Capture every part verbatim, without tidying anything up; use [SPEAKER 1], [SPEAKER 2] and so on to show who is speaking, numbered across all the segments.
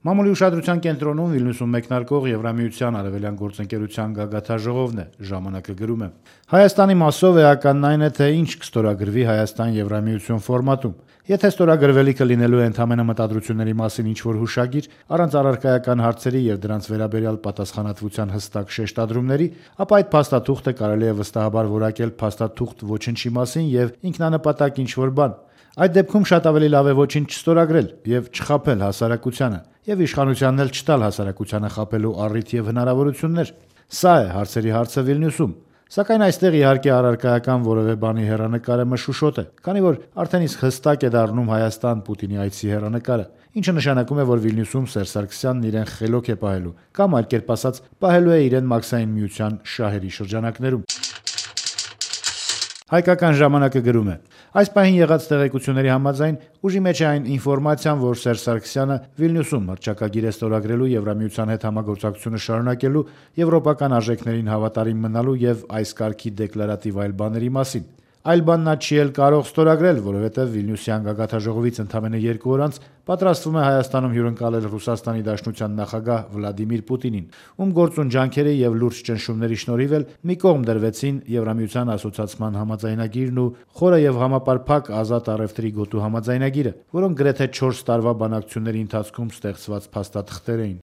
[SPEAKER 1] Մամուլի ուշադրության կենտրոնում Վիլնյուսում մեկնարկող Եվրամիության արևելյան գործընկերության գագաթնաժողովն է, ժամանակը գրում է. Հայաստանի մասով էականն այն է, թե ինչ կստորագրվի Հայաստան-Եվրամիություն ֆորմատում։ Եթե ստորագրվելիքը լինելու է ընդամենը մտադրությունների մասին ինչ-որ հուշագիր, առանց առարկայական հարցերի եւ դրանց վերաբերյալ պատասխանատվության հստակ շեշտադրումների, ապա այդ փաստաթուղթը կարելի է վստահաբար որակել փաստաթուղթ ոչնչի մասին եւ ինքնանպատակ ինչ-որ բան։ Այդ դեպքում շատ ավելի լավ է ոչինչ չստորագրել եւ չխաբել հասարակությանը, եւ իշխանությանն էլ չտալ հասարակությանը խաբելու առիթ եւ հնարավորություններ։ Սա է հարցերի հարցը Վիլնյուսում։ Սակայն այստեղ իհարկե առարկայական որևէ բանի հեռանկարը մշուշոտ է, քանի որ արդեն իսկ հստակ է դառնում Հայաստան Պուտինի այցի հեռանկարը, ինչը նշանակում է, որ Վիլնյուսում Սերժ Սարգսյանն իրեն խելոք է պահելու, կամ այլ կերպ ասած, պահելու է իրեն Մաքսային միության շահերի շրջանակներում։ Հայկական ժամանակը գրում է. Այս պահին եղած տեղեկությունների համաձայն ուժի մեջ է այն ինֆորմացիան, որ Սերժ Սարգսյանը Վիլնյուսում հռչակագիր է ստորագրելու Եվրամիության հետ համագործակցությունը շարունակելու, եվրոպական արժեքներին հավատարիմ մնալու եւ այս կարգի դեկլարատիվ այլ բաների մասին։ Այլ բան նա չի էլ կարող ստորագրել, որովհետև Վիլնյուսյան գագաթնաժողովից ընդամենը երկու օր անց պատրաստվում է Հայաստանում հյուրընկալել Ռուսաստանի Դաշնության նախագահ Վլադիմիր Պուտինին, ում գործուն ջանքերի եւ լուրջ ճնշումների շնորհիվ էլ մի կողմ դրվեցին Եվրամիության ասոցիացման համաձայնագիրն ու խորը եւ համապարփակ ազատ առևտրի գոտու համաձայնագիրը, որոնք գրեթե չորս տարվա բանակցությունների ընթացքում ստեղծված փաստաթղթեր էին։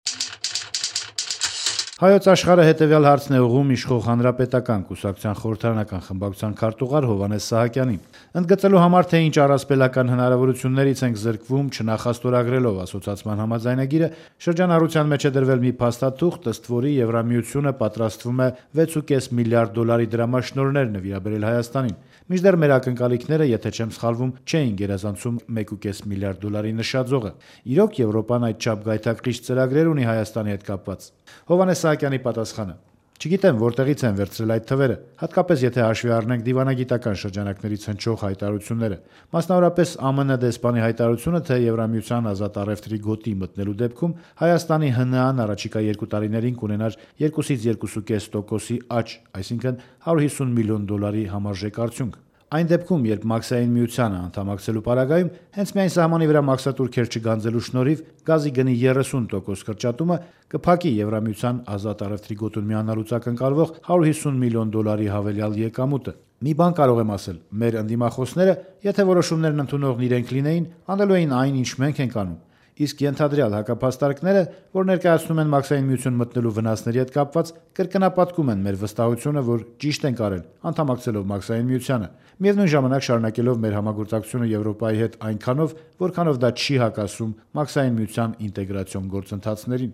[SPEAKER 1] Հայոց աշխարհը հետևյալ հարցն է ուղղում իշխող Հանրապետական կուսակցության խորհրդարանական խմբակցության քարտուղար Հովհաննես Սահակյանին, ընդգծելու համար, թե ինչ առասպելական հնարավորություններից ենք զրկվում չնախաստորագրելով ասոցիացման համաձայնագիրը, շրջանառության մեջ է դրվել մի փաստաթուղթ, ըստ որի Եվրամիությունը պատրաստվում է վեց ու կես միլիարդ դոլարի դրամաշնորհներ նվիրաբերել Հայաստանին, մինչդեռ մեր ակնկալիքները, եթե չեմ սխալվում, չէին գերազանցում մեկ ու կես միլիարդ դոլարի նշաձողը։ Իրոք Եվրոպան այդչափ գայթակղիչ ծրագրեր ունի Հայաստանի հետ կապված։ Հովհաննես Սահակյանի պատասխանը. Չգիտեմ որտեղից են վերցրել այդ թվերը, հատկապես եթե հաշվի առնենք դիվանագիտական շրջանակներից հնչող հայտարարությունները, մասնավորապես ԱՄՆ դեսպանի հայտարարությունը, թե Եվրամիության ազատ առևտրի գոտի մտնելու դեպքում Հայաստանի ՀՆԱ-ն առաջիկա երկու տարիներին կունենար երկուսից երկու ու կես տոկոսի աճ, այսինքն հարյուր հիսուն միլիոն դոլարի համարժեք արդյունք։ Այն դեպքում, երբ Մաքսային միությանը անդամակցելու պարագայում հենց միայն սահմանի վրա մաքսատուրքեր չգանձելու շնորհիվ գազի գնի երեսուն տոկոս կրճատումը կփակի Եվրամիության ազատ առևտրի գոտուն միանալուց ակնկալվող հարյուր հիսուն միլիոն դոլարի հավելյալ եկամուտը։ Մի բան կարող եմ ասել, մեր ընդդիմախոսները, եթե որոշումներն ընդունողն իրենք լինեին, անելու էին այն, ինչ մենք ենք անում։ Իսկ ենթադրյալ հակափաստարկները, որ ներկայացնում են Մաքսային միություն մտնելու վնասների հետ կապված, կրկնապատկում են մեր վստահությունը, որ ճիշտ ենք արել, անդամակցելով Մաքսային միությանը, միևնույն ժամանակ շարունակելով մեր համագործակցությունը Եվրոպայի հետ այնքանով, որքանով դա չի հակասում Մաքսային միության ինտեգրացիոն գործընթացներին։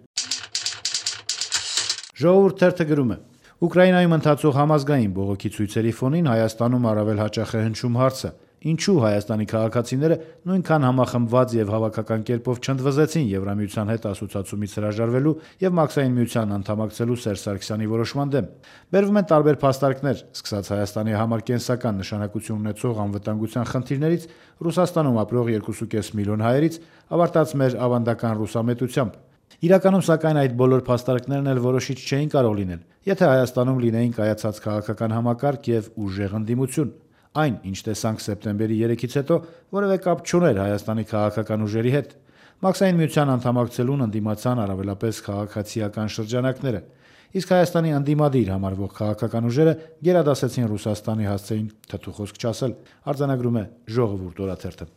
[SPEAKER 1] Ժողովուրդ թերթը գրում է. Ուկրաինայում ընթացող համազգային բողոքի ցույցերի ֆոնին Հայաստանում առավել հաճախ է հնչում հարցը. ինչու Հայաստանի քաղաքացիները նույնքան համախմբված եւ հավաքական կերպով չընդվզեցին Եվրամիության հետ ասոցիացումից հրաժարվելու եւ Մաքսային միության անդամակցելու Սերժ Սարգսյանի որոշման դեմ։ Բերվում են տարբեր փաստարկներ, սկսած Հայաստանի համար կենսական նշանակություն ունեցող անվտանգության խնդիրներից, Ռուսաստանում ապրող երկու ու կես միլիոն հայերից, ավարտած մեր ավանդական ռուսամետությամբ։ Իրականում, սակայն, այդ բոլոր փաստարկներն էլ որոշիչ չէին կարող լինել, եթե Հայաստանում լինեին կայացած քաղաքական համակարգ եւ ուժեղ ընդդիմություն։ Այն, ինչ տեսանք սեպտեմբերի երեքից հետո, որևէ կապ չուներ Հայաստանի քաղաքական ուժերի հետ։ Մաքսային միության անդամակցելուն ընդդիմացան առավելապես քաղաքացիական շրջանակները, իսկ Հայաստանի ընդդիմադիր համարվող քաղաքական ուժերը գերադասեցին Ռուսաստանի հասցեին թթու խոսք չասել, արձանագրում է Ժողովուրդ օրաթերթը։